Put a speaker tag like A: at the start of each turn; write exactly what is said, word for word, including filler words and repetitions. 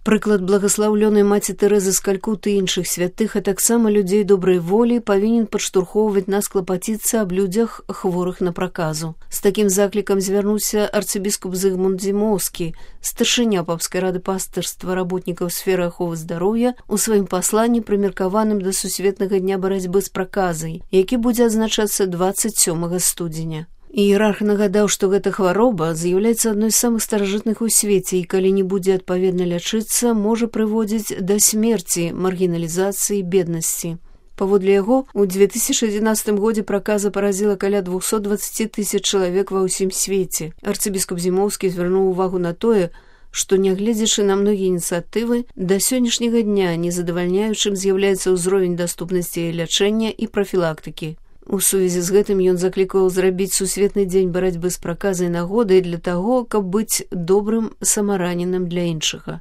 A: Прыклад благаслаўлёнай маці Тэрэзы з Калькуты і іншых святых, а таксама людзей добрай волі павінен падштурхоўваць нас клапаціцца аб людзях, хворых на праказу. З такім заклікам звярнуўся арцыбіскуп Зыгмунд Дзімоўскі, старшыня папскай рады пастырства работнікаў сферы аховы здароўя, у сваім пасланні, прымеркаваным да сусветнага дня барацьбы з праказай, які будзе адзначацца дваццаць сёмага студзеня. Іерарх нагадаў, што гэта хвароба з'яўляецца адной з самых старажытных у свеце і калі не будзе адпаведна лячыцца, можа прыводзіць да смерці, маргіналізацыі, беднасці. Паводле яго, у дзве тысячы адзінаццатым годзе праказа паразіла каля двухсот дваццаці тысяч чалавек ва ўсім свеце. Арцыбіскуп Дзімоўскі звярнуў увагу на тое, што, нягледзячы на многія ініцыятывы, да сённяшняга дня незадавальняючым з'яўляецца ўзровень даступнасці лячэння і прафілактыкі. У сувязі з гэтым ён заклікаў зрабіць сусветны дзень барацьбы з праказай нагодай для таго, каб быць добрым самараненным для іншага.